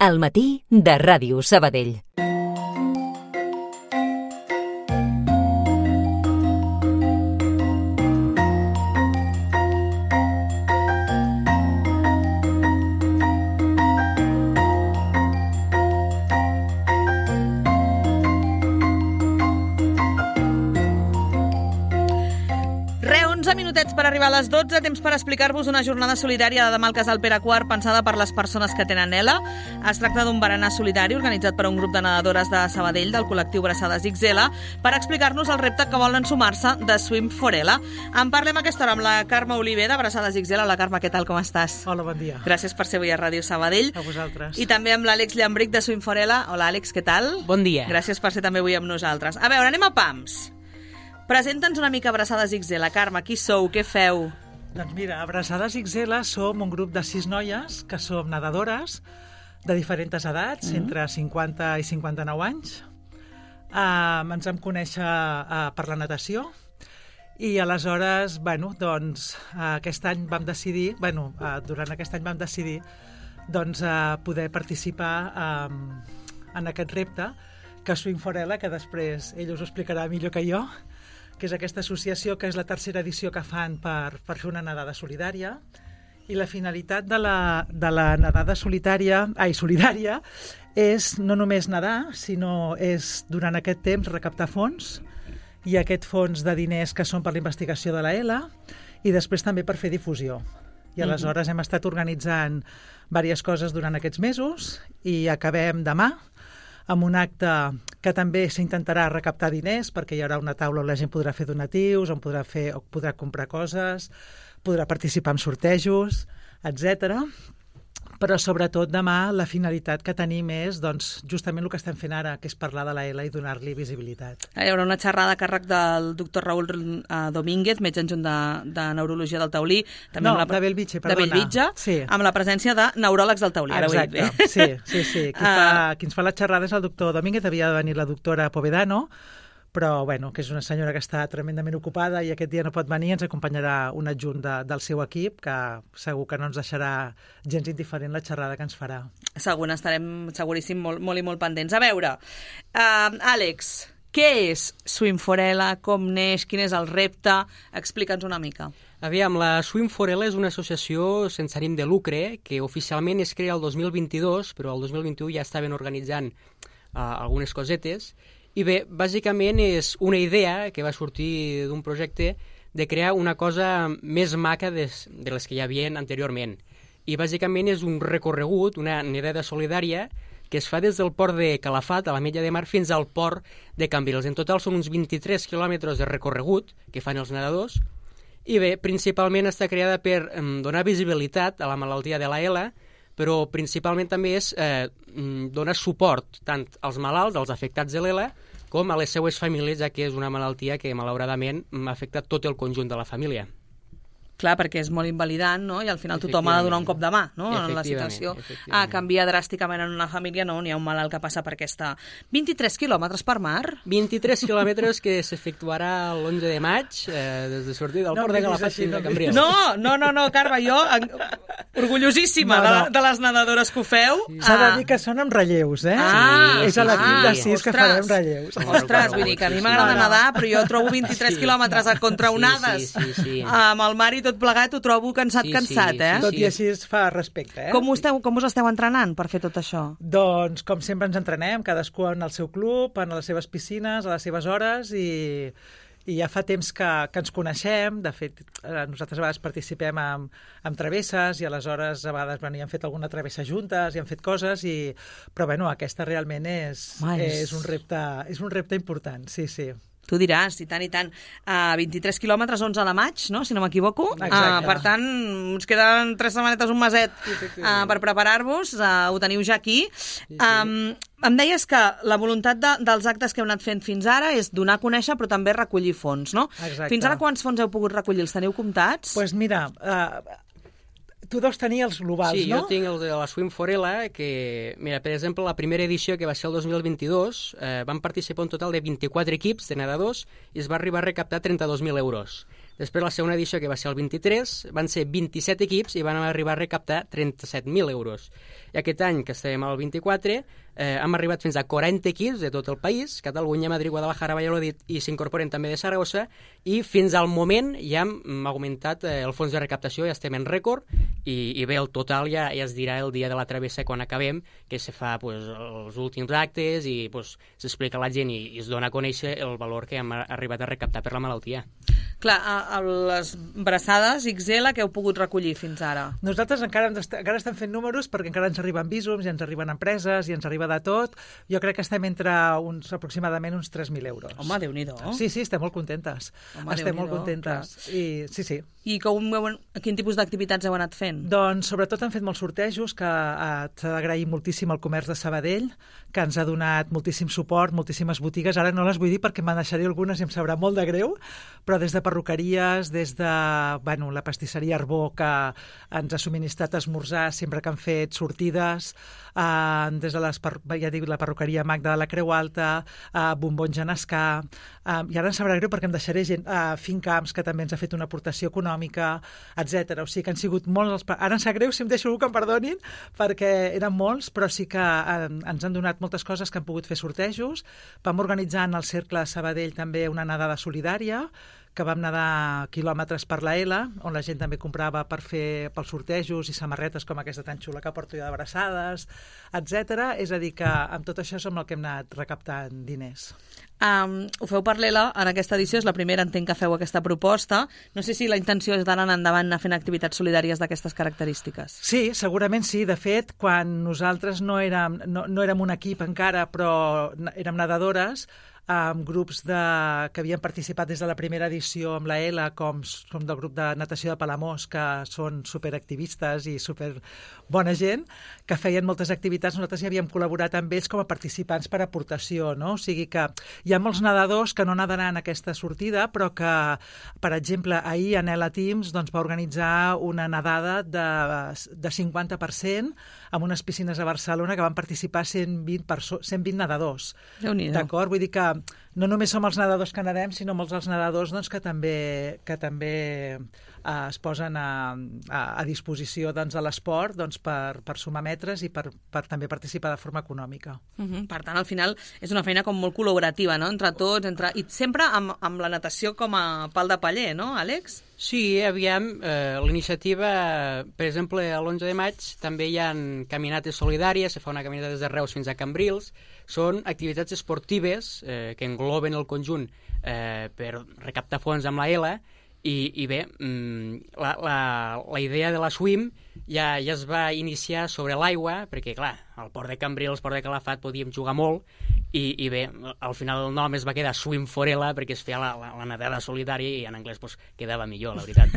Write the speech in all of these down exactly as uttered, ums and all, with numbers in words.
Al matí de Ràdio Sabadell. Minutets per arribar a les dotze, temps per explicar-vos una jornada solidària de demà al Casal Pere quart pensada per les persones que tenen E L A. Es tracta d'un berenar solidari organitzat per un grup de nedadores de Sabadell del col·lectiu Braçades X L per explicar-nos el repte que volen sumar-se de Swim for E L A. En parlem a aquesta hora amb la Carme Oliver de Braçades X L. La Carme, què tal, com estàs? Hola, bon dia. Gràcies per ser avui a Ràdio Sabadell. A vosaltres. I també amb l'Àlex Llambric de Swim for E L A. Hola, Àlex, què tal? Bon dia. Gràcies per ser també avui amb nosaltres. A veure, anem a pams. Presenta'ns una mica Braçades X L. Carme, qui sou, què feu? Doncs mira, a Braçades X L som un grup de sis noies que som nedadores de diferents edats, mm-hmm. entre cinquanta i cinquanta-nou anys. Uh, ens vam conèixer uh, per la natació i aleshores, bueno, doncs, uh, aquest any vam decidir, bueno, uh, durant aquest any vam decidir doncs, uh, poder participar um, en aquest repte que és Swim for E L A, que després ell us ho explicarà millor que jo, que és aquesta associació que és la tercera edició que fan per, per fer una nedada solidària. I la finalitat de la, de la nedada solitària, ai, solidària és no només nedar, sinó és durant aquest temps recaptar fons, i aquest fons de diners que són per la investigació de la E L A, i després també per fer difusió. I aleshores mm-hmm. hem estat organitzant diverses coses durant aquests mesos i acabem demà amb un acte que també s'intentarà recaptar diners, perquè hi haurà una taula on la gent podrà fer donatius, on podrà, fer, on podrà comprar coses, podrà participar en sortejos, etcètera. Però sobretot demà la finalitat que tenim és doncs, justament el que estem fent ara, que és parlar de la E L A i donar-li visibilitat. Hi haurà una xerrada a càrrec del doctor Raül Domínguez, metge adjunt de, de Neurologia del Taulí. També no, amb la, de Bellvitge, perdona. De Bellvitge, sí. Amb la presència de neuròlegs del Taulí. Exacte, ara ho sí, sí, sí. Qui, uh... fa, qui ens fa la xerrada és el doctor Domínguez, havia de venir la doctora Povedano, però bueno, que és una senyora que està tremendament ocupada i aquest dia no pot venir, ens acompanyarà un adjunt de, del seu equip, que segur que no ens deixarà gens indiferent la xerrada que ens farà. Segur, estarem seguríssim molt, molt i molt pendents. A veure, uh, Àlex, què és Swim for E L A, com neix, quin és el repte? Explica'ns una mica. Aviam, la Swim for E L A és una associació sense ànim de lucre que oficialment es crea el dos mil vint-i-dos, però el dos mil vint-i-u ja estaven organitzant uh, algunes cosetes. I bé, bàsicament és una idea que va sortir d'un projecte de crear una cosa més maca de, de les que hi havia anteriorment. I bàsicament és un recorregut, una nedada solidària, que es fa des del port de Calafat, a l'Ametlla de Mar, fins al port de Cambrils. En total són uns vint-i-tres quilòmetres de recorregut que fan els nedadors. I bé, principalment està creada per eh, donar visibilitat a la malaltia de la E L A, però principalment també és eh, donar suport tant als malalts, als afectats de l'E L A, com a les seues famílies, ja que és una malaltia que, malauradament, ha afectat tot el conjunt de la família. Clar, perquè és molt invalidant, no? I al final tothom ha de donar un cop de mà, no? En la situació ah, canvia dràsticament en una família, no? N'hi ha un malalt que passa per aquesta... vint-i-tres quilòmetres per mar? vint-i-tres quilòmetres que s'efectuarà l'onze de maig, eh, des de sortir del no, port de Calafat fins a Cambrils. No, no, no, no, Carme, jo, en... orgullosíssima no, no. De, de les nedadores que ho feu. Sí. S'ha de dir que són amb relleus, eh? Ah, és a l'equip ah, de sis ostres, que farem relleus. Ostres, vull dir que a mi m'agrada nedar, però jo trobo vint-i-tres sí, quilòmetres a contraonades sí, sí, sí, sí. amb el mar i tot plegat, ho trobo cansat, sí, cansat, sí, eh? Tot i així es fa respecte, eh? Com, esteu, com us esteu entrenant per fer tot això? Doncs, com sempre ens entrenem, cadascú en el seu club, en les seves piscines, a les seves hores, i, i ja fa temps que, que ens coneixem. De fet, nosaltres a vegades participem en, en travesses, i aleshores a vegades bueno, ja hem fet alguna travessa juntes, i hem fet coses, i... però bueno, aquesta realment és, és, un repte, és un repte important, sí, sí. Tu diràs, i tant, i tant. Uh, vint-i-tres quilòmetres, onze de maig, no? Si no m'equivoco. Exacte. Uh, per tant, ens queden tres setmanetes, un meset uh, per preparar-vos. Uh, ho teniu ja aquí. Sí, sí. Um, em deies que la voluntat de, dels actes que heu anat fent fins ara és donar a conèixer, però també recollir fons, no? Exacte. Fins ara quants fons heu pogut recollir? Els teniu comptats? Doncs pues mira... Uh, Tu deus tenir els globals, sí, no? Sí, jo tinc el de la Swim for E L A, que, mira, per exemple, la primera edició, que va ser el dos mil vint-i-dos, eh, van participar un total de vint-i-quatre equips de nedadors i es va arribar a recaptar trenta-dos mil euros. Després la segona edició, que va ser el vint-i-tres, van ser vint-i-set equips i van arribar a recaptar trenta-set mil euros. I aquest any, que estem al vint-i-quatre, eh, hem arribat fins a quaranta equips de tot el país, Catalunya, Madrid, Guadalajara, Valladolid, i s'incorporen també de Saragossa, i fins al moment ja hem augmentat eh, el fons de recaptació, ja estem en rècord, i, i bé, el total ja, ja es dirà el dia de la travessa quan acabem, que se fa pues, els últims actes i pues, s'explica a la gent i, i es dona a conèixer el valor que hem arribat a recaptar per la malaltia. Clar, a, a les braçades X L que heu pogut recollir fins ara? Nosaltres encara, encara estem fent números perquè encara ens arriben visums i ens arriben empreses i ens arriba de tot. Jo crec que estem entre uns, aproximadament uns tres mil euros. Home, Déu-n'hi-do. Sí, sí, estem molt contentes. Home, estem molt contentes. I, sí, sí. I com, quin tipus d'activitats heu anat fent? Doncs sobretot han fet molts sortejos, que eh, s'ha d'agrair moltíssim al comerç de Sabadell, que ens ha donat moltíssim suport, moltíssimes botigues. Ara no les vull dir perquè me'n deixaré algunes i em sabrà molt de greu, però des de perruqueries, des de bueno, la pastisseria Arbó, que ens ha subministrat esmorzar sempre que han fet sortides, eh, des de les, ja dic, la perruqueria Magda de la Creu Alta, eh, Bombons Genescà, eh, i ara em sabrà greu perquè em deixaré gent, eh, Fincamps, que també ens ha fet una aportació econòmica, etcètera. O sigui que han sigut molts els... Ara em sap greu si em deixo algú que em perdonin, perquè eren molts, però sí que eh, ens han donat moltes coses que han pogut fer sortejos. Vam organitzar en el Cercle de Sabadell també una nedada solidària, que vam nedar quilòmetres per la L, on la gent també comprava per fer pels sortejos i samarretes com aquesta tan xula que porto jo d'abraçades, etcètera. És a dir, que amb tot això som el que hem anat recaptant diners. Um, ho feu per l'E L A en aquesta edició, és la primera, entenc que feu aquesta proposta. No sé si la intenció és d'anar endavant anar fent activitats solidàries d'aquestes característiques. Sí, segurament sí. De fet, quan nosaltres no érem, no, no érem un equip encara, però érem nedadores, amb grups de, que havien participat des de la primera edició amb la E L A, com, com del grup de natació de Palamós, que són superactivistes i super bona gent, que feien moltes activitats. Nosaltres ja havíem col·laborat amb ells com a participants per aportació, no? O sigui que hi ha molts nedadors que no nadaran aquesta sortida, però que, per exemple, ahir en E L A Teams doncs, va organitzar una nedada de, de cinquanta per cent amb unes piscines a Barcelona que van participar cent vint, perso- cent vint nedadors. Déu-n'hi-do. D'acord? Vull dir que no només som els nedadors que nedem, sinó molts els nedadors doncs, que també, que també eh, es posen a, a, a disposició doncs, de l'esport doncs, per, per sumar metres i per, per també participar de forma econòmica. Uh -huh. Per tant, al final és una feina com molt col·laborativa, no? Entre tots, entre... i sempre amb, amb la natació com a pal de paller, no, Àlex? Sí, aviam, eh, l'iniciativa, per exemple, a l'onze de maig també hi ha caminates solidàries, se fa una caminata des de Reus fins a Cambrils, són activitats esportives eh, que engloben el conjunt eh, per recaptar fons amb la E L A, i, i bé, la, la, la idea de la Swim ja, ja es va iniciar sobre l'aigua, perquè clar, al port de Cambrils, al port de Calafat podíem jugar molt, i, i bé, al final el nom es va quedar Swim for E L A perquè es feia la, la, la nedada solidària i en anglès pues, quedava millor, la veritat.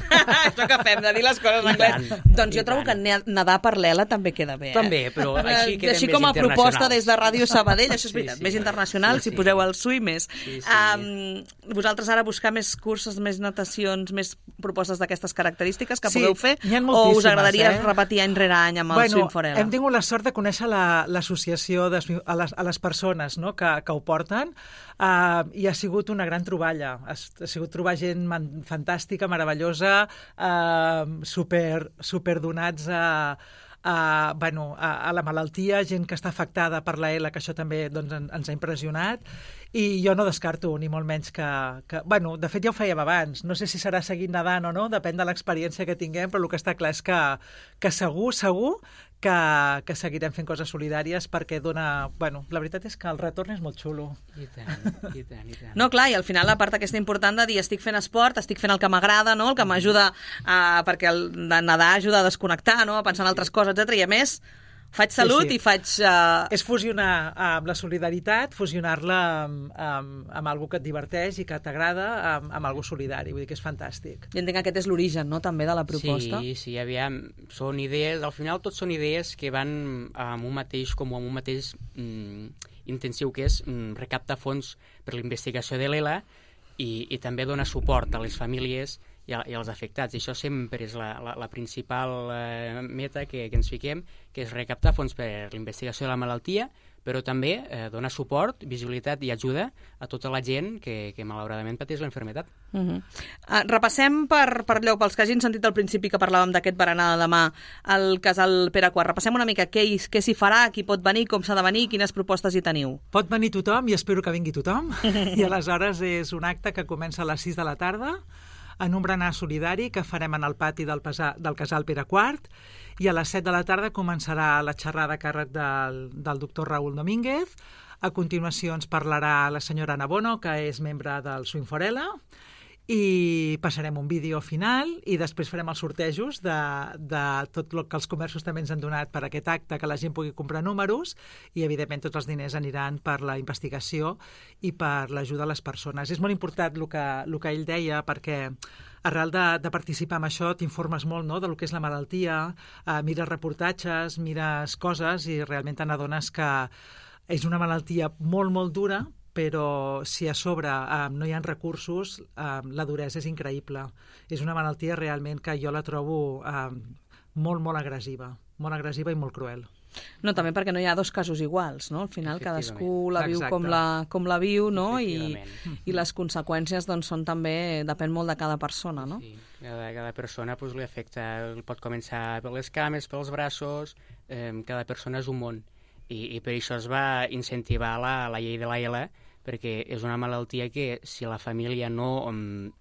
Això que fem, de dir les coses en anglès. Tant, doncs jo trobo tant. que nedar per l'E L A també queda bé. Eh? També, però així quedem així més com a proposta des de Ràdio Sabadell, això és sí, veritat, sí, més internacional, sí, si sí. poseu el Swim més. Sí, sí. Um, vosaltres ara buscar més cursos, més natacions, més propostes d'aquestes característiques que sí, pugueu fer, o us agradaria eh? repetir any rere any amb el bueno, Swim for E L A? Hem tingut la sort de conèixer l'associació la, a, les, a les persones no? que, que ho porten uh, i ha sigut una gran troballa. Ha, ha sigut trobar gent man, fantàstica, meravellosa, uh, super, super donats a... A, bueno, a, a la malaltia, gent que està afectada per la E L A, que això també doncs, en, ens ha impressionat, i jo no descarto ni molt menys que, que... Bueno, de fet ja ho fèiem abans, no sé si serà seguint nedant o no, depèn de l'experiència que tinguem, però el que està clar és que, que segur, segur que, que seguirem fent coses solidàries perquè dona... Bueno, la veritat és que el retorn és molt xulo. I tant, i tant, i tant. No, clar, i al final la part aquesta important de dir estic fent esport, estic fent el que m'agrada, no? El que m'ajuda a... perquè el de nedar ajuda a desconnectar, no? A pensar en altres coses, etcètera. I a més, faig salut sí, sí. i faig... Uh... És fusionar amb la solidaritat, fusionar-la amb, amb, amb algú que et diverteix i que t'agrada, amb, amb algú solidari. Vull dir que és fantàstic. I entenc que aquest és l'origen, no?, també de la proposta. Sí, sí, aviam, són idees... Al final tot són idees que van amb un mateix, com amb un mateix mm, intensiu, que és mm, recaptar fons per la investigació de l'E L A i, i també donar suport a les famílies i i, i als afectats. I això sempre és la, la, la principal eh, meta que, que ens fiquem, que és recaptar fons per l'investigació de la malaltia, però també eh, donar suport, visibilitat i ajuda a tota la gent que, que malauradament pateix la malaltia. Uh -huh. uh, repassem per, per lloc, pels que hagin sentit al principi que parlàvem d'aquest berenar de demà al casal Pere quart. Repassem una mica què, què s'hi farà, qui pot venir, com s'ha de venir, quines propostes hi teniu. Pot venir tothom i espero que vingui tothom. I aleshores és un acte que comença a les sis de la tarda en un berenar solidari que farem en el pati del, pesa, del casal Pere quart, i a les set de la tarda començarà la xerrada a càrrec del, del doctor Raúl Domínguez. A continuació ens parlarà la senyora Ana Bono, que és membre del Swing for Ella, i passarem un vídeo final i després farem els sortejos de, de tot el que els comerços també ens han donat per aquest acte, que la gent pugui comprar números, i evidentment tots els diners aniran per la investigació i per l'ajuda a les persones. És molt important el que, el que ell deia, perquè arrel de, de participar en això t'informes molt, no?, del que és la malaltia, eh, mires reportatges, mires coses i realment te n'adones que és una malaltia molt, molt dura, però si a sobre eh, no hi ha recursos, eh, la duresa és increïble. És una malaltia realment que jo la trobo eh, molt, molt agressiva, molt agressiva i molt cruel. No, també perquè no hi ha dos casos iguals, no? Al final cadascú la viu com la, com la viu, no? I, i les conseqüències doncs, són també, depèn molt de cada persona, no? Sí, cada, cada persona pues, li afecta, pot començar per les cames, pels braços, eh, cada persona és un món. I, i per això es va incentivar la, la llei de l'A L, perquè és una malaltia que si la família no um,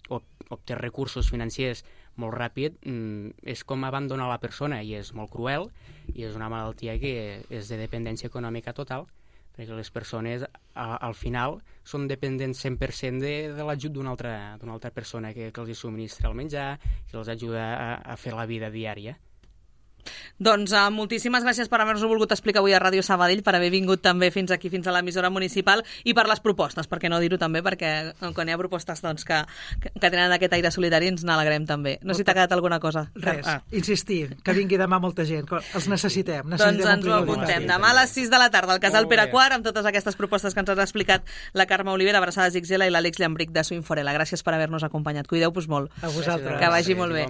obté recursos financers molt ràpid, um, és com abandonar la persona, i és molt cruel, i és una malaltia que és de dependència econòmica total, perquè les persones a, al final són dependents cent per cent de, de l'ajut d'una altra, d'una altra persona que, que els subministra el menjar, que els ajuda a, a fer la vida diària. Doncs uh, moltíssimes gràcies per haver-nos volgut explicar avui a Ràdio Sabadell, per haver vingut també fins aquí, fins a l'emissora municipal, i per les propostes, perquè no dir-ho també, perquè quan hi ha propostes doncs, que, que, que tenen aquest aire solidari ens n'alegrem també. No sé si t'ha quedat alguna cosa. Res, ah. insistir, que vingui demà molta gent, els necessitem. necessitem doncs ens ho apuntem. Demà a les sis de la tarda al casal Pere quart, amb totes aquestes propostes que ens has explicat la Carme Olivera, Abraçades X L, i l'Àlex Llambric de Swing for Ella. Gràcies per haver-nos acompanyat. Cuideu-vos molt. A vosaltres. Que vagi molt bé.